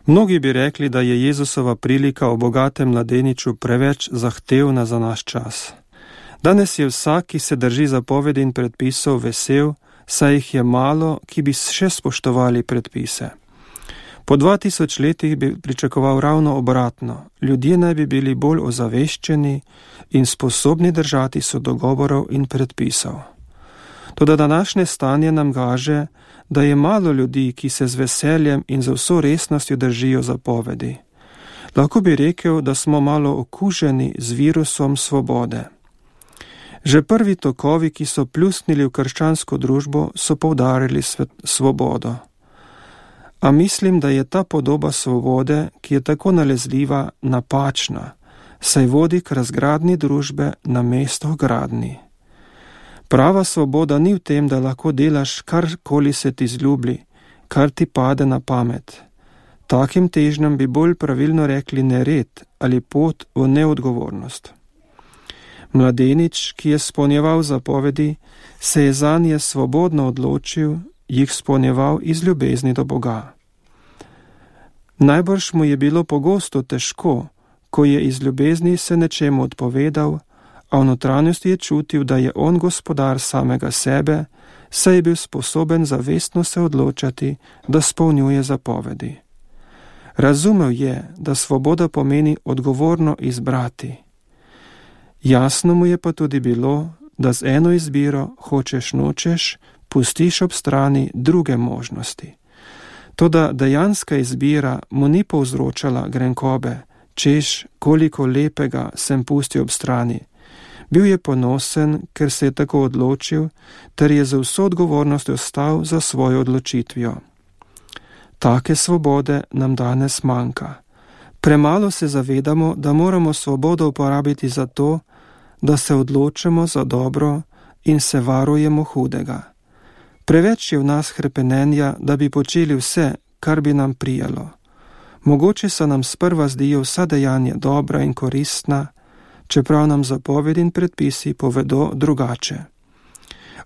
Mnogi bi rekli, da je Jezusova prilika o bogatem mladeniču preveč zahtevna za naš čas. Danes je vsak, ki se drži zapovedi in predpisov, vesel, saj jih je malo, ki bi še spoštovali predpise. Po 2000 letih bi pričakoval ravno obratno. Ljudje naj bi bili bolj ozaveščeni in sposobni držati se dogovorov in predpisov. Toda današnje stanje nam kaže, da je malo ljudi, ki se z veseljem in z vso resnostjo držijo zapovedi. Lahko bi rekel, da smo malo okuženi z virusom svobode. Že prvi tokovi, ki so pljusnili v krščansko družbo, so poudarili svobodo. A mislim, da je ta podoba svobode, ki je tako nalezljiva, napačna, saj vodi k razgradnji družbe namesto gradnji. Prava svoboda ni v tem, da lahko delaš karkoli se ti zljubi, kar ti pade na pamet. Takim težnjam bi bolj pravilno rekli nered ali pot v neodgovornost. Mladenič, ki je izpolnjeval zapovedi, se je zanje svobodno odločil, jih izpolnjeval iz ljubezni do Boga. Najbrž mu je bilo pogosto težko, ko je iz ljubezni se nečemu odpovedal, a v notranjosti je čutil, da je on gospodar samega sebe, saj je bil sposoben zavestno se odločati, da izpolnjuje zapovedi. Razumel je, da svoboda pomeni odgovorno izbrati. Jasno mu je pa tudi bilo, da z eno izbiro, hočeš nočeš, pustiš ob strani druge možnosti. Toda dejanska izbira mu ni povzročala grenkobe, češ koliko lepega sem pustil ob strani. Bil je ponosen, ker se je tako odločil, ter je za vso odgovornost ostal za svojo odločitvijo. Take svobode nam danes manjka. Premalo se zavedamo, da moramo svobodo uporabiti za to, da se odločimo za dobro in se varujemo hudega. Preveč je v nas hrepenenja, da bi počeli vse, kar bi nam prijalo. Mogoče se nam sprva zdijo vsa dejanja dobra in koristna, čeprav nam zapovedi in predpisi povedo drugače.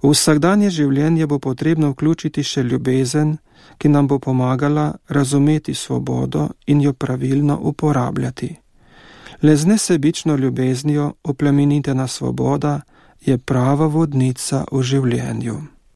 V vsakdanje življenje bo potrebno vključiti še ljubezen, ki nam bo pomagala razumeti svobodo in jo pravilno uporabljati. Le z nesebično ljubeznijo oplemenitena svoboda je prava vodnica v življenju.